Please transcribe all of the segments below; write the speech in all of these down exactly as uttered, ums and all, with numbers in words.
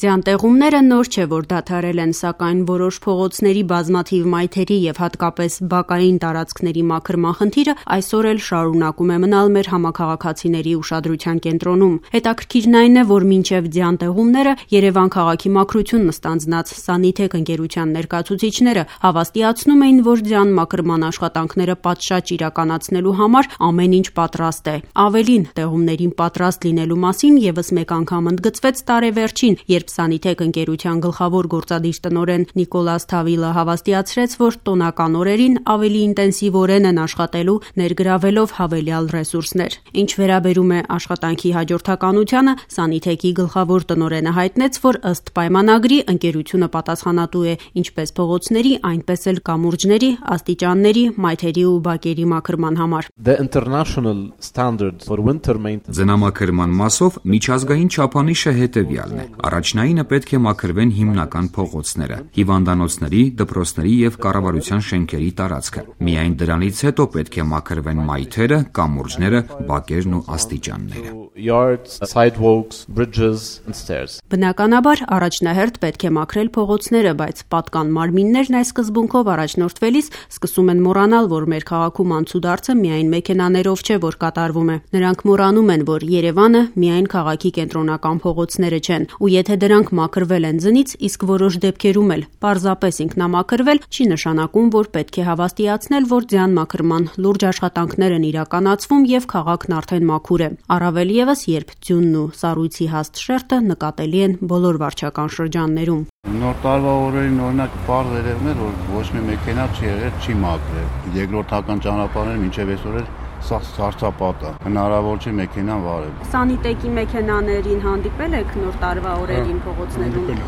Ձյան-տեղումները նոր չէ, որ դադարել են, սակայն որոշ փողոցների բազմաթիվ մայթերի և հատկապես բակային տարածքների մաքրման խնդիրը այսօր էլ շարունակում է մնալ մեր համաքաղաքացիների ուշադրության կենտրոնում: Հետաքրքիրն այն է, որ մինչև ձյան-տեղումները Երևան քաղաքի մաքրությունն ստանձնած «Սանիթեք» ընկերության ներկայացուցիչները հավաստիացնում էին, որ ձյան մաքրման աշխատանքները պատշաճ իրականացնելու համար ամեն ինչ պատրաստ է: Ավելին, տեղումներին պատրաստ լինելու մասին ևս մեկ անգամ ընդգծվեց տարեվերջին, երբ «Սանիթեք» ընկերության գլխավոր գործադիր տնօրեն Նիկոլաս Թավիլը հավաստիացրեց, որ տոնական օրերին ավելի ինտենսիվորեն են աշխատելու, ներգրավելով հավելյալ ռեսուրսներ: Ինչ վերաբերում է աշխատանքի հաջորդականությանը, «Սանիթեք»-ի գլխավոր տնօրենը հայտնեց, որ ըստ պայմանագրի ընկերությունը պատասխանատու է ինչպես փողոցների, այնպես էլ կամուրջների, աստիճանների, մայթերի ու բակերի մաքրման համար: Ձնամաքրման մասով միջազգային չափանիշը հետևյալն է: Առաջնայինը պետք է մաքրվեն հիմնական փողոցները, հիվանդանոցների, դպրոցների և կառավարության շենքերի տարածքը: Միայն դրանից հետո պետք է մաքրվեն մայթերը, կամուրջները, բակերն ու աստիճանները: Բնականաբար, առաջնահերթ պետք է մաքրել փողոցները, բայց պատկան մարմիններն այս սկզբունքով առաջնորդվելիս սկսում են մոռանալ, որ մեր քաղաքում անցուդարձը միայն մեքենաներով չէ, որ կատարվում է: Նրանք մոռանում են, որ Երևանը միայն քաղաքի կենտրոնական փողոցները չեն, ու եթե դրանք մաքրվել են ձնից, իսկ որոշ դեպքերում էլ պարզապես ինքնամաքրվել, չի նշանակում, որ պետք է հավաստիացնել, որ ձյան մաքրման լուրջ աշխատանքներ են իրականացվում և քաղաքն արդեն մաքուր է: Առավել ևս, երբ ձյունն ու սառույցի հաստ շերտը նկատելի են բոլոր վարչական շրջաններում: Նոր տարվա օրերին օրինակ պարզ երևում էր, որ ոչ մի մեքենա չի եղել, չի մաքրել: Երկրորդական ճանապարհները մինչև այսօր էլ սա սառցապատ է, հնարավոր չէ մեքենան վարել: «Սանիտեկի» մեքենաներին հանդիպել եք նոր տարվա օրերին փողոցներում: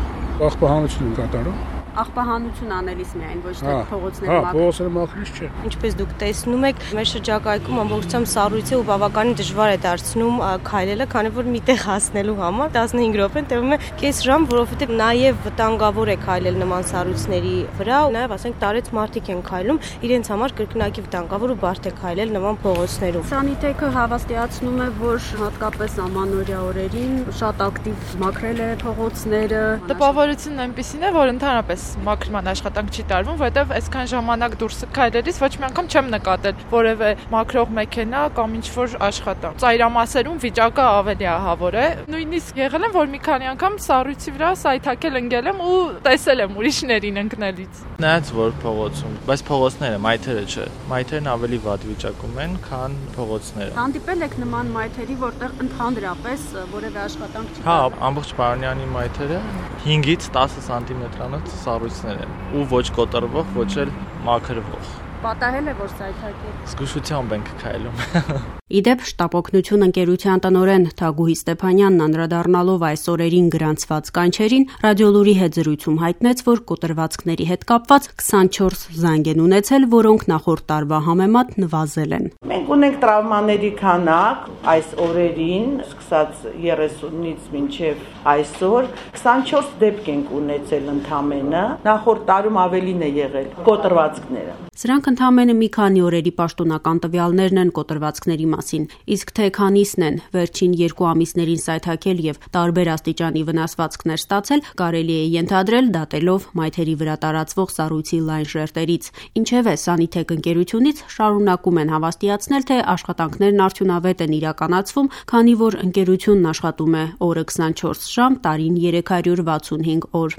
Աղբահանություն են կատարում: Աղբահանություն անելիս միայն, ոչ թե փողոցները մաքրելիս: Հա, փողոցները մաքրելիս չէ: Ինչպես դուք տեսնում եք, մեր շրջակայքում ամբողջությամբ սառույց է ու բավականին դժվար է դարձնում քայլելը, քանի որ միտեղ հասնելու համար տասնհինգ րոպեն տևում է կես ժամ, որովհետև նաև վտանգավոր է քայլել նման սառույցների վրա, նաև ասենք տարեց մարդիկ են քայլում, իրենց համար կրկնակի վտանգավոր ու բարդ է քայլել նման փողոցներում: «Սանիթեքը» հավաստիացնում է, որ հատկապես ամանորյա օրերին շատ ակտիվ մաքրել է փողոցները: Տպավորությունն այնպիսին է, որ ընդհանրապես մաքրման աշխատանք չի տարվում, որովհետև այսքան ժամանակ դուրս քայլելիս ոչ մի անգամ չեմ նկատել որևէ մաքրող մեքենա կամ ինչ-որ աշխատանք: Ծայրամասերում վիճակը ավելի ահավոր է: Նույնիսկ եղել եմ, որ մի քանի անգամ սառույցի վրա սայթաքել ընկել եմ ու տեսել եմ ուրիշներին ընկնելիս: Նայած որ փողոցում, բայց փողոցները, մայթերը չէ: Մայթերն ավելի վատ վիճակում են, քան փողոցները: Հանդիպել եք նման մայթերի, որտեղ ընդհանրապես որևէ աշխատանք չի Հա, ամբողջ Պարոնյանի մայթերը հինգից տասը սանտիմետրանոց սառույցներ են ու ոչ կոտրվող, ոչ էլ մաքրվող: Պատահել է, որ սայթաքել: Զգուշությամբ ենք քայլում: Ի դեպ, «Շտապօգնություն» ընկերության տնօրեն Թագուհի Ստեփանյանն անդրադառնալով այս օրերին գրանցված կանչերին, «Ռադիոլուր»-ի հետ զրույցում հայտնեց, որ կոտրվածքների հետ կապված քսանչորս զանգ են ունեցել, որոնք նախորդ տարվա համեմատ նվազել են: Մենք ունենք տրավմաների քանակ այս օրերին, սկսած երեսունից մինչև այսօր, քսանչորս դեպք ենք ունեցել ընդամենը, նախորդ տարում ավելին է եղել կոտրվածքները: Սրանք ընդամենը մի քանի օրերի պաշտոնական տվյալներն են կոտրվածքների մասին, իսկ թե քանիսն են վերջին երկու ամիսներին սայթաքել և տարբեր աստիճանի վնասվածքներ ստացել, կարելի է ենթադրել դատելով մայթերի վրա տարածվող սառույցի լայն շերտերից: Ինչևէ, «Սանիթեք» ընկերությունից շարունակում են հավաստիացնել, թե աշխատանքներն արդյունավետ են իրականացվում, քանի որ ընկերությունն աշխատում է օրը քսանչորս ժամ, տարին երեք հարյուր վաթսունհինգ օր: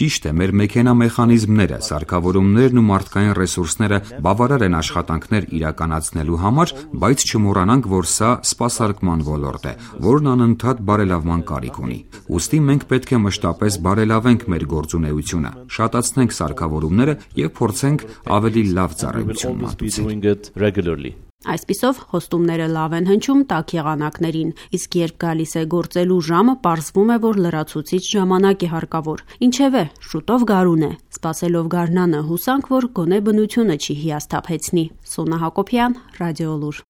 Ճիշտ է, մեր մեքենամեխանիզմները, սարքավորումներն ու մարդկային ռեսուրսները բավարար են աշխատանքներ իրականացնելու համար, բայց չմոռանանք, որ սա սպասարկման ոլորտ է, որն անընդհատ բարելավման կարիք ունի: Ուստի մենք պետք է մշտապես բարելավենք մեր գործունեությունը, շատացնենք սարքավորումները և փորձենք ավելի լավ ծառայություն մատուցել: Այսպիսով, խոստումները լավ են հնչում տաք եղանակներին, իսկ երբ գալիս է գործելու ժամը, պարզվում է, որ լրացուցիչ ժամանակ է հարկավոր: Ինչևէ, շուտով գարուն է: Սպասելով գարնանը, հուսանք, որ գոնե բնությունը չի հիասթափեցնի: Սոնա Հակոբյան, «Ռադիոլուր»